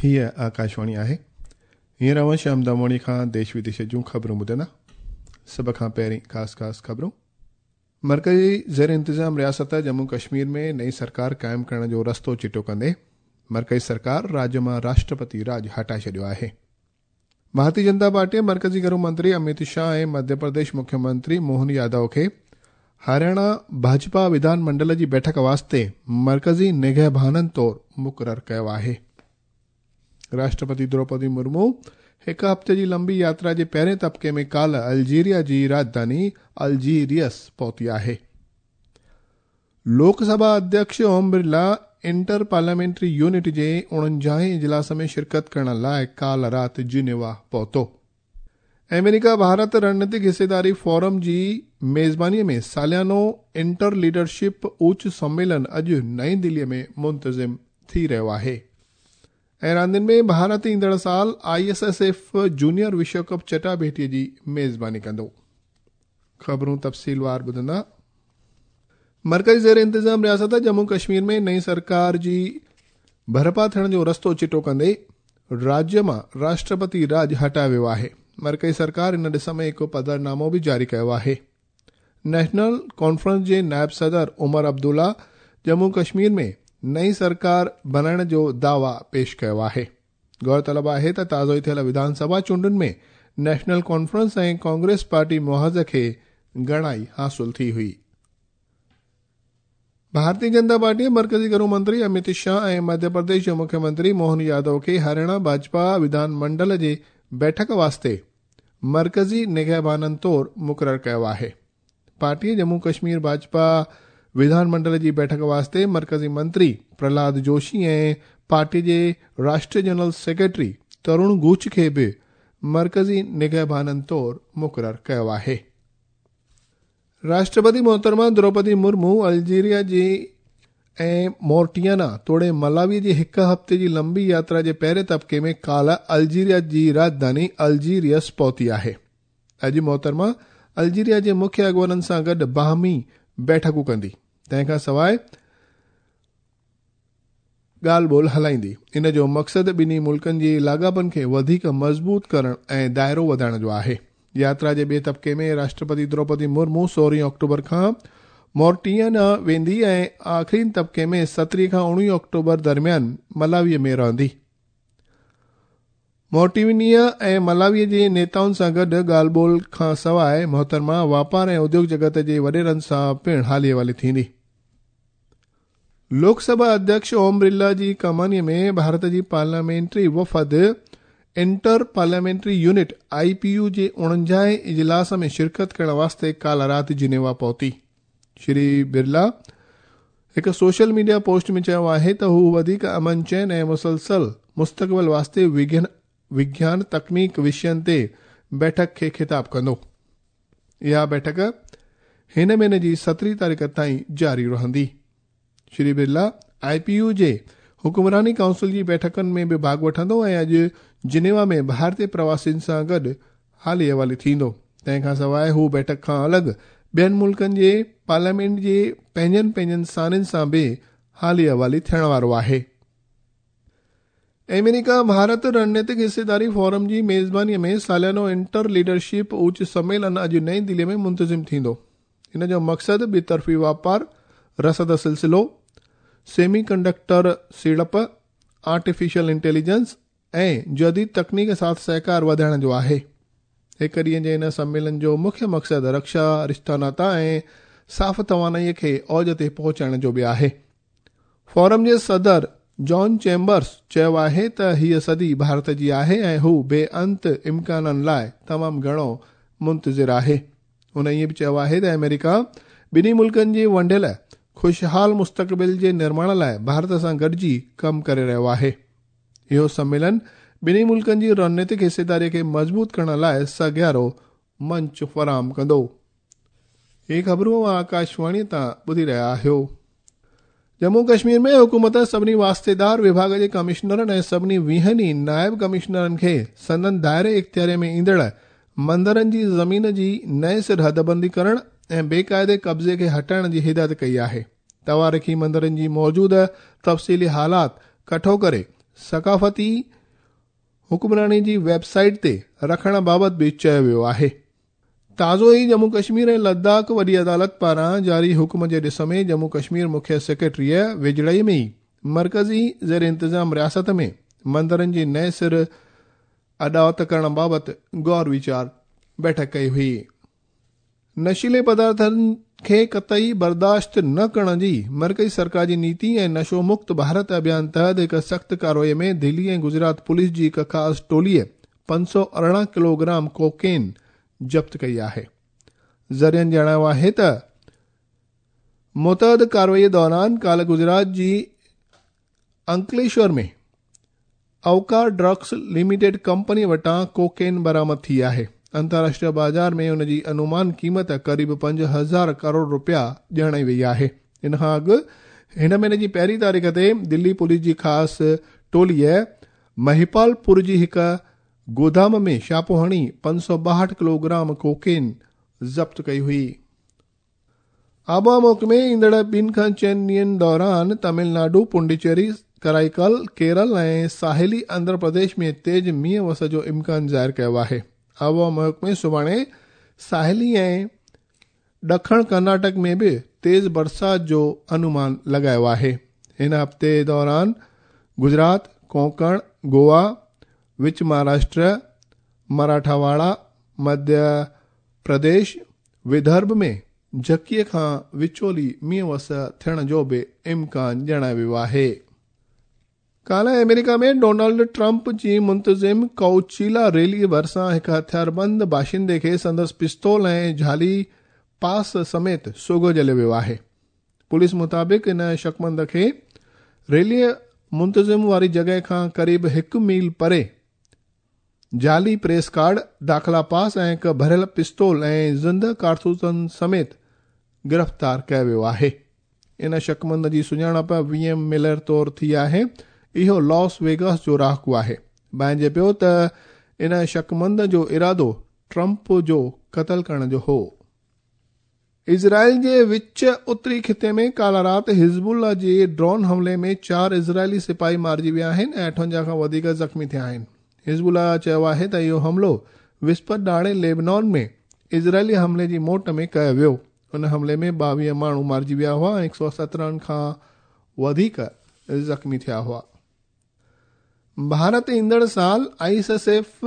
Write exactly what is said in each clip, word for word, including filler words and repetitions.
هيء آڪاشواڻي آهي. هينئر اوهان شيام داموڻي کان ديش وديش جون خبرون ٻڌندا. سڀ کان پهرين خاص خاص خبرون. مرڪزي زير انتظام رياست ڄمون ڪشمير ۾ نئين سرڪار قائم ڪرڻ جو رستو چٽو ڪندي مرڪزي سرڪار راجيه مان راشٽرپتي راڄ هٽائي ڇڏيو آهي. ڀارتيه جنتا پارٽي مرڪزي گهرو منتري امت شاهه ۽ مڌيه پرديش مکيه منتري موهن يادو کي هرياڻا ڀاجپا وڌان منڊل جي بيٺڪ واسطي مرڪزي نگهبانن طور مقرر ڪيو آهي. راشٽرپتي دروپدي مرمو هڪ هفتي جي لمبي ياترا جي پهرين طبقي ۾ ڪالهه الجيريا جي راڄڌاني الجيريس پهتي آهي. لوڪ سڀا اڌيڪش Om Birla inter parliamentary union جي اڻونجاهين اجلاس ۾ شرڪت ڪرڻ لاءِ ڪالهه رات جنيوا پهتو. آمريڪا ڀارت رڻنيتڪ حصيداري فورم جي ميزبانيءَ ۾ ساليانو انٽر ليڊرشپ اوچ سميلن اڄ نئين دليءَ ۾ منتظم ٿي رهيو آهي. ۽ راندين ۾ ڀارت ايندڙ سال I S S F junior وشو ڪپ چٽاڀيٽيءَ جي ميزباني ڪندو. خبرون تفصيلوار ٻڌندا. مرڪزي زير انتظام رياست ڄمون ڪشمير ۾ نئين سرڪار جي برپا ٿيڻ جو رستو چٽو ڪندي راجيه مان راشٽرپتي راڄ هٽايو ويو آهي. مرڪزي سرڪار ان ڏس ۾ هڪ پڌرنامو به جاري ڪيو آهي. نيشنل ڪانفرنس جي نائب صدر عمر عبدالله ڄمون ڪشمير ۾ نئين سرڪار بڻائڻ جو دعويٰ پيش ڪيو آهي. غور طلب آهي ته تازو ئي ٿيل وڌان سڀا چونڊن ۾ نيشنل ڪانفرنس ۽ ڪانگريس پارٽي محاذ کي گهڻائي حاصل ٿي هئي. ڀارتيه جنتا پارٽي مرڪزي گهرو منتري امت شاهه ۽ مڌيه پرديش جي مکيه منتري موهن يادو کي هرياڻا ڀاجپا وڌان منڊل جي بيٺڪ واسطي مرڪزي نگهبانن طور مقرر ڪيو آهي. پارٽيءَ ڄمون ڪشمير ڀاجپا وڌان منڊل جي بيٺڪ واسطي مرڪزي منتري پرهلاد جوشي ۽ پارٽي جي راشٽريه جنرل سيڪريٽري ترون گوچ کي به مرڪزي نگهبانن طور مقرر ڪيو آهي. راشٽرپتي محترمه دروپدي مرمو الجيريا جي ۽ مورٽيانا توڙي ملاوي جي هڪ هفتي جي لمبي ياترا جي پهرين طبقي ۾ ڪالهه الجيريا جي راڄڌاني الجيريس پهتي آهي. اڄ محترمه الجيريا جي مکيه اڳواڻن سان گڏ باهمي بيٺڪون ڪندي، تنهن کان سواءِ ڳالهه ٻولهه هلائيندي. ان جو مقصد ٻنهي ملڪن جي لاڳاپن کي وڌيڪ مضبوط ڪرڻ ۽ دائرو وڌائڻ جو آهي. ياترا جي ٻئي طبقي ۾ راشٽرپتي دروپدي مرمو سورهين آڪٽوبر کان مورٽيانا ويندي ۽ آخرين طبقي ۾ سترهين کان اڻويهه آڪٽوبر درميان ملاويءَ ۾ رهندي. مورٽينيا ۽ ملاويءَ جي نيتائن سان گڏ ڳالهه ٻولهه کان سواءِ محترمه واپار ۽ اديوگ جڳت جي وڏيرن سان پڻ حالي حوالي ٿيندي. لوڪ سڀا اڌيڪش اوم برلا جي ڪمانيءَ ۾ ڀارت جي پارليامينٽري وفد inter parliamentary unit I P U جي اڻونجاهين اجلاس ۾ شرڪت ڪرڻ واسطي ڪالهه رات جنيوا پهتي. شري برلا هڪ سوشل ميڊيا پوسٽ ۾ چيو آهي ته هو وڌيڪ امن چين ۽ مسلسل مستقبل واسطي وگيان تڪنيڪ وشين تي بيٺڪ کي خطاب ڪندو. اها بيٺڪ هن مهيني جي سترهين تاريخ تائين جاري رهندي. Shri Birla I P U جي حڪمراني ڪائونسل جي بيٺڪن ۾ به ڀاڳ وٺندو ۽ اڄ جنيوا ۾ ڀارتيه پرواسين سان گڏ حالي حوالي ٿيندو. تنهن کان سواءِ هو بيٺڪ کان الڳ ٻين ملڪن جي پارليامينٽ جي پنهنجن پنهنجن سانين سان به حالي حوالي ٿيڻ وارو آهي. آمريڪا ڀارت رڻنيتڪ حصيداري فورم جي ميزبانيءَ ۾ ساليانو انٽر ليڊرشپ اوچ سميلن اڄ نئين دليءَ ۾ منتظم ٿيندو. ان جو مقصد ٻطرفي واپار، رسد سلسلو، سيمي ڪنڊڪٽر سيڙپ، آرٽيفيشل انٽيليجنس ۽ جديد تڪنيڪ سان سهڪار وڌائڻ جو آهي. هڪ ڏينهن جي ان سميلن جو مکيه مقصد رڪشا، رشتا ناتا ۽ صاف توانائيءَ کي اوج تي پهچائڻ جو به آهي. فورم جي صدر جان چيمبرس چيو آهي ته هيءَ صدي ڀارت جي آهي ۽ هو بي انت امڪانن لاءِ تمام گهڻو منتظر آهي. هن ائين به چيو آهي ته آمريڪا ٻنهي ملڪن جي ونڊيل خوشحال مستقبل جي نرماڻ لاءِ ڀارت سان گڏجي ڪم ڪري رهيو آهي. اهو سميلن ٻنهي ملڪن جي رڻنيتڪ حصيداريءَ کي مضبوط ڪرڻ لاءِ سگهارو منچ فراهم ڪندو. هي خبرون آڪاشواڻيءَ تان ٻڌي رهيا آهيو. ڄمون ڪشمير ۾ حڪومت سڀني واسطيدار وڀاڳ جي ڪمشنرن ۽ سڀني ويهن ئي نائب ڪمشنرن کي سندن دائري اختياري ۾ ايندڙ مندرن جي زمين جي نئين سر حدبندي ڪرڻ ۽ بيقاعدي قبضي کي هٽائڻ جي هدايت ڪئي آهي. تواريخي مندرن جي موجوده تفصيلي حالات ڪٺو ڪري ثقافتي हुक्मरानी जी वेबसाइट ते रखण बाबति बि चयो वियो आहे। ताज़ो ई जम्मू कश्मीर ऐं लद्दाख वॾी अदालत पारां जारी हुक्म जे ॾिस में जम्मू कश्मीर मुख्य सेक्रेटरीअ वेझड़ाई में ई मर्कज़ी ज़ेर इंतज़ाम रियासत में मंदिरनि जी नए सिर अॾावत करण बाबति गौर वीचार बैठक कई हुई। नशीले पदार्थनि खे क़तई बर्दाश्त न करण जी मर्कज़ी सरकार जी नीति ऐं नशो मुक्त भारत अभियान तहत हिकु सख़्तु कार्रवाई में दिल्ली ऐं गुजरात पुलिस जी हिकु ख़ासि टोलीअ पंज सौ अरिड़हं किलोग्राम कोकेन ज़ब्त कई आहे। ज़रियनि ॼाणायो आहे त मुतअद कार्रवाई दौरान काल्ह गुजरात जी अंकलेश्वर में अवकार ड्रग्स लिमिटेड कंपनी वटां कोकेन बरामद थी आहे। अंतर्राष्ट्रीय बाज़ार में उन जी अनुमान क़ीमत क़रीब पंज हज़ार करोड़ रुपया ॼाणाई वई आहे। इन खां अॻु हिन महीने जी पहिरीं तारीख़ ते दिल्ली पुलिस जी ख़ासि टोलीअ महिपालपुर जी हिकु गोदाम में छापो हणी पंज सौ ॿाहठि किलोग्राम कोकेन ज़ब्त कई हुई। आबोहवा महकमे ईंदड़ ॿिनि खां चइनि ॾींहंनि दौरान तमिलनाडु, पुडुचेरी, कराईकल, केरल ऐं साहिली आंध्र प्रदेश में तेज़ मींहुं वस जो इम्कान ज़ाहिर कयो आहे। आबोहवा महकमे सुभाणे साहिली ऐं ॾखण कर्नाटक में बि तेज़ बरसात जो अनुमान लॻायो आहे। हिन हफ़्ते दौरान गुजरात, कोंकण, गोवा, विच महाराष्ट्र, मराठावाड़ा, मध्य प्रदेश, विदर्भ में झकीअ खां विचोली मींहुं वस थियण जो बि इम्कान ॼाणायो वियो आहे। काल्ह अमेरिका में डोनाल्ड ट्रंप जी मुंतज़िम कोचीला रैली भरिसां हिकु हथियारबंद बाशिंदे खे संदसि पिस्तौल ऐं जाली पास समेत सोगो जलियो वियो आहे। पुलिस मुताबिक़ इन शकमंद खे रैलीअ मुंतज़िम वारी जॻह खां क़रीब हिकु मील परे जाली प्रेस कार्ड, दाख़िला पास ऐं हिकु भरियल पिस्तौल ऐं ज़िंद कारतूसनि समेत गिरफ़्तार कयो वियो आहे। इन शकमंद जी सुञाणप विलियम मिलर तौर थी आहे। इहो लॉस वेगास जो रहाकू आहे। भांइजे पियो त इन शकमंद जो इरादो ट्रंप जो क़तल करण जो हो। इज़राइल जे विच उत्तरी ख़िते में काल्ह राति हिज़बुल्ला जे ड्रोन हमले में चारि इज़राइली सिपाही मारिजी विया आहिनि ऐं अठवंजाह खां वधीक ज़ख़्मी थिया आहिनि। हिज़बुल्ला चयो आहे त इहो हमलो विस्पत ॾाणे लेबनान में इज़राइली हमले जी मोट में कयो वियो। उन हमले में ॿावीह माण्हू मारिजी विया हुआ ऐं हिकु सौ सत्रहं खां वधीक ज़ख़्मी थिया हुआ। भारत ईंदड़ साल I S S F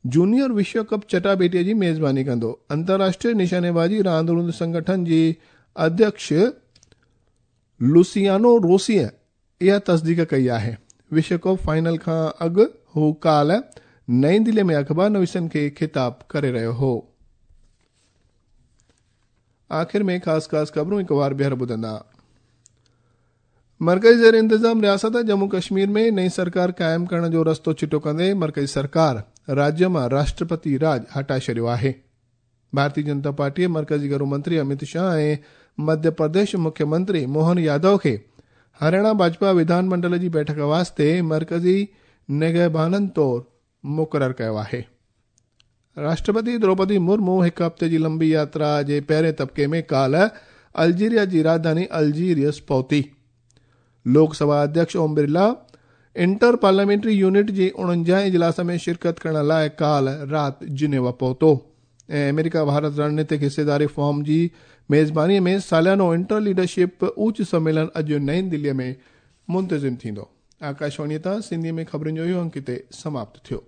junior विश्व कप चटाबेटीअ जी मेज़बानी कंदो। अंतर्राष्ट्रीय निशानेबाज़ी रांदि संगठन जी अध्यक्ष लुसियानो रोसीअ इहा तस्दीक कई आहे। विश्व कप फाइनल खां अॻु हू काल्ह नई दिल्ली में अख़बार नवीसनि खे ख़िताब करे रहियो हो। आख़िर में ख़ासि ख़ासि ख़बरूं हिकु वार ॿीहर ॿुधंदा। मर्कज़ी ज़ेर इंतज़ाम रियासत जम्मू कश्मीर में नई सरकार क़ाइम करण जो रस्तो चिटो कंदे मर्कज़ी सरकार राज्य मां राष्ट्रपति राज हटाए छॾियो आहे। भारतीय जनता पार्टीअ मर्कज़ी घरू मंत्री अमित शाह ऐं मध्य प्रदेश मुख्यमंत्री मोहन यादव खे हरियाणा भाजपा विधानमंडल जी बैठक वास्ते मर्कज़ी निगहबाननि तौर मुक़ररु कयो आहे। राष्ट्रपति द्रौपदी मुर्मू हिकु हफ़्ते जी लंबी यात्रा जे पहिरें तबिके में काल्ह अल्जीरिया जी राजधानी अल्जीरियस पहुती। लोकसभा अध्यक्ष Om Birla inter parliamentary unit जे उणंजाह इजलास में शिरकत करण लाइ काल्ह राति जिनेवा पहुतो ऐं अमेरिका भारत रणनीतिक हिस्सेदारी फॉर्म जी मेज़बानीअ में सालानो इंटर लीडरशिप ऊच सम्मेलन अॼु नई दिल्लीअ में मुंतज़िम थींदो। आकाशवाणीअ तां सिंधीअ में ख़बरुनि जो इहो अंक हिते समाप्त थियो।